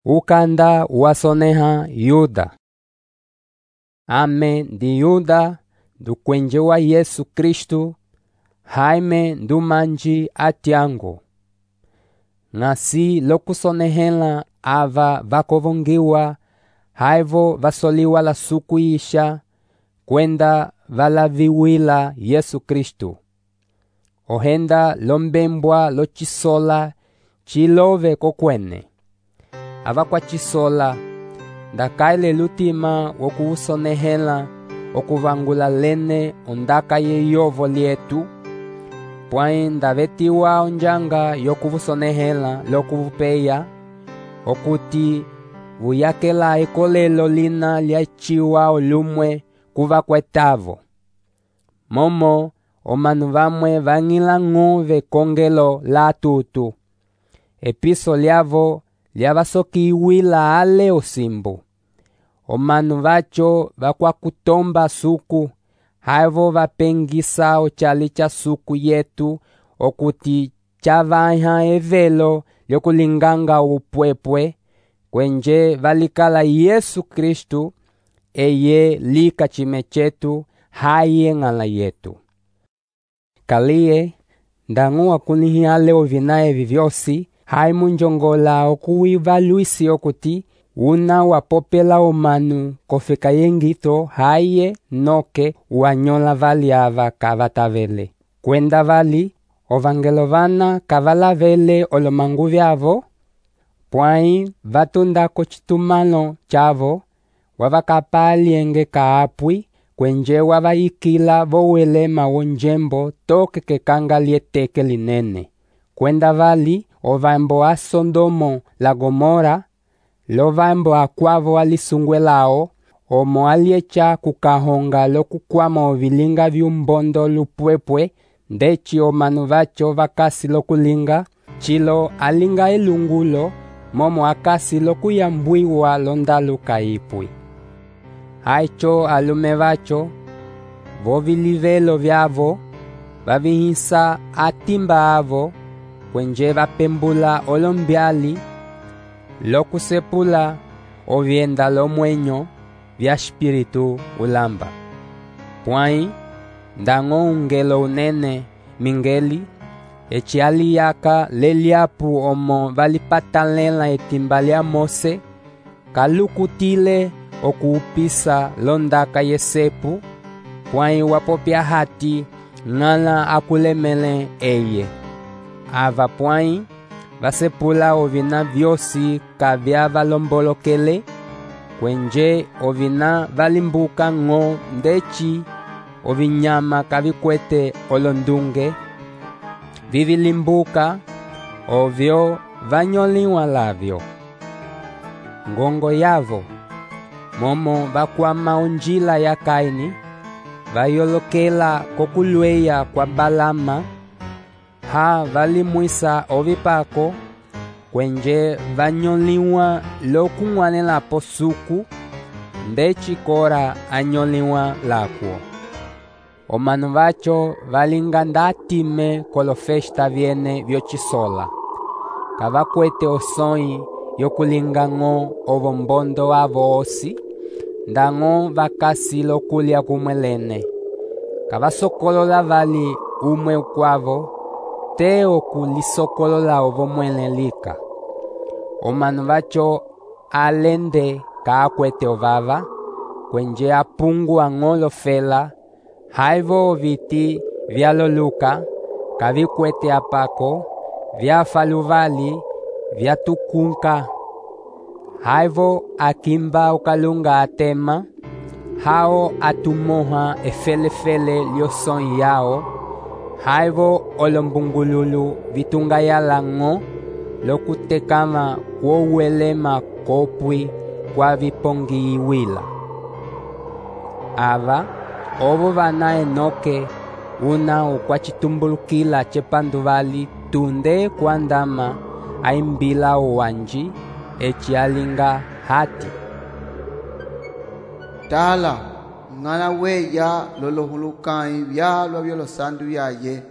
Ukanda wasoneha Yuda. Ame ndi Yuda ndukwenje wa Yesu Kristu, haime ndumanji atyango. Ngasi lokusonehela ava vakovongiwa, haivo vasoliwa la suku isha, kwenda valaviwila Yesu Kristu. Ohenda lombembwa lochisola chilove kokwene. Ava kwa chisola, ndakaile lutima wokuusonehela okuvangula lene ondaka yeyovo lietu, pwai ndavetiwa onjanga yokuvusonehela lokuvupeya, okuti vuyakela ekolelo lina liachiwa olumwe kuva kwetavo. Momo omanu vamwe vang'ila ng'ove kongelo la tutu. Episo liavo liavasokiwila ale osimbu. Omanu vacho vakwakutomba suku, haivo vapengisa ochali cha suku yetu, okuti chavaiha evelo lyokulinganga upwepwe, kwenje valikala Yesu Kristu, eye lika chime chetu, haye ng'ala yetu. Kaliye, ndangu wakunihi ale ovinae vivyosi, haimu njongola okuwivaluisi okuti, una wapopela omanu kofeka yengito haye noke wanyola vali ava kavatavele. Kwenda vali, ovangelo vana kavalavele olomangu vyavo, pwai vatundako chitumano chavo, wavakapalienge kaapwi, kwenje wavaikila vowelema wonjembo toke kekanga lieteke linene. Kwenda vali, ovambo a Sodomo la Gomora, lovambo akwavo alisungwelao, omo aliecha kukahonga lokukwama ovilinga vyumbondo lupwepwe, ndechi omanu vacho vakasi lokulinga, chilo alinga elungulo, momo akasi lokuyambwiwa londalu kaipwi. Haicho alume vacho, vovilivelo vyavo, vavihisa atimba avo, kwenje vapembula olombyali, lokusepula ovienda lomwenyo vya spiritu ulamba. Pwai, ndango ungelo unene mingeli, echi aliyaka leliapu omo valipatalela etimba lia Mose, kalukutile okuupisa londaka yesepu, pwai wapopya hati ng'ala akulemele eye. Ava pwai, vasepula ovina vyosi kavya valombolokele, kwenje ovina valimbuka ng'o ndechi, ovinyama kavikwete olondunge, vivilimbuka, ovyo vanyoliwa lavyo. Ngongo yavo, momo vakwama onjila ya Kaini, vayolokela kokulweya kwa Balama, ha valimwisa ovipako, kwenje vanyoliwa lokung'wanela posuku, ndechi Kora anyoliwa lakwo. Omanu vacho valinga ndatime kolofesta vyene vyochisola, kavakwete osoi yokulinga ng'o ovombondo avo osi, ndango vakasi lokulya kumwelene. Kavasokolola vali umwe ukwavo, te okulisokolola ovomwele lika. Omanu vacho alende kaakwete ovava, kwenje apungua ng'olofela, haivo viti vyaloluka, kavikwete apako, vyafaluvali, vyatukunka. Haivo akimba ukalunga atema, hao atumoha efelefele liosoi yao, haivo olombungululu vitungayala ng'o, lokutekama kwouwelema kopwi kwa vipongiwila. Ava, ovo vana Enoke, una ukwachitumbulukila chepanduvali tunde kwandama, aimbila uwanji, echi alinga hati. Tala, ng'ala weya lolohulukai vyalwa vyolosandu yaye,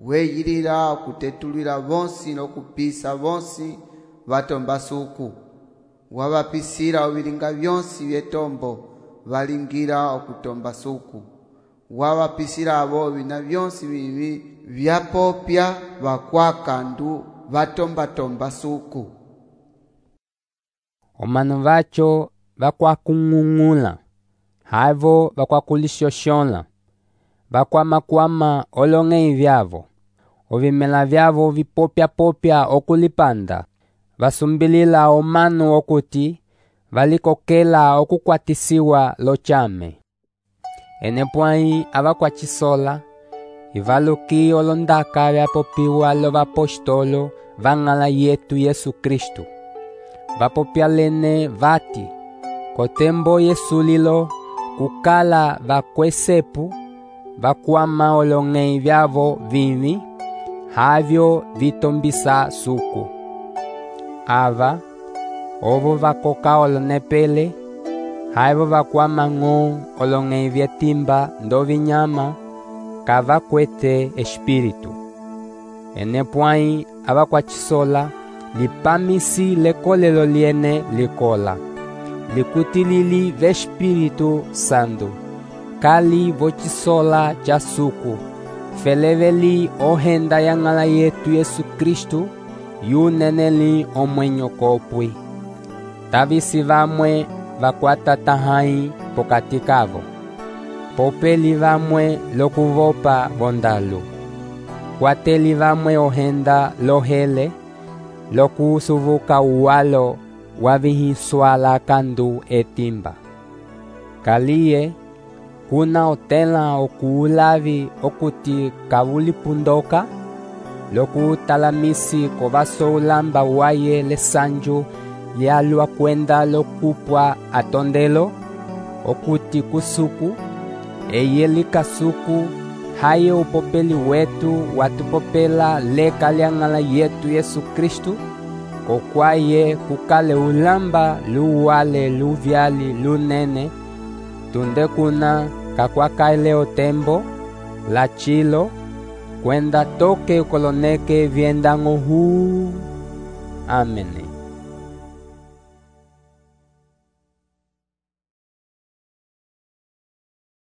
weyilila kutetulila vonsi nokupisa vonsi vatomba suku. wavapisira ovilinga vyonsi vyetombo valingira okutomba suku. Wavapisira avo vina vyonsi vivi vyapopya vakwakandu vatomba suku. Omanu vacho vakwakung'ung'ula, havo vakwakulixoxola, vakwamakwama olong'ei vyavo, ovimela vyavo vipopya okulipanda, vasumbilila omanu okuti valikokela okukwatisiwa lochame. Enepwãyi avakwachisola, ivaluki olondaka vyapopiwa lovapostolo vang'ala yetu Yesu Kristu. Vapopya lene vati, kotembo yesulilo kukala vakwesepu, vakwama olong'ei vyavo vivi, havyo vitombisa suku. Ava, ovo vakoka olonepele, havo vakwama ng'o olong'ei vyetimba ndovinyama, kavakwete espiritu. Enepwãyi avakwachisola, lipamisi lekolelo liene likola, likutilili vespiritu santo, kali vochisola cha suku, feleveli ohenda yang'ala yetu Yesu Kristu, yuneneli omwenyo kopwi. Tavisi vamwe vakwata tahai pokati kavo, popeli vamwe lokuvopa vondalu, kwateli vamwe ohenda lohele, lokusuvuka uwalo wavihiswala kandu etimba. Kaliye, kuna otela okuulavi okuti kavulipundoka, lokutalamisi kovaso ulamba waye lesanju lyalwa kwenda lokupwa atondelo, okuti kusuku, eye likasuku, haye upopeli wetu watupopela leka lyang'ala yetu Yesu Kristu, kokwaye kukale ulamba luwale luvyali lunene, tunde kuna kakwakaile otembo, lachilo, kwenda toke ukoloneke vyendang'o huu. Amene.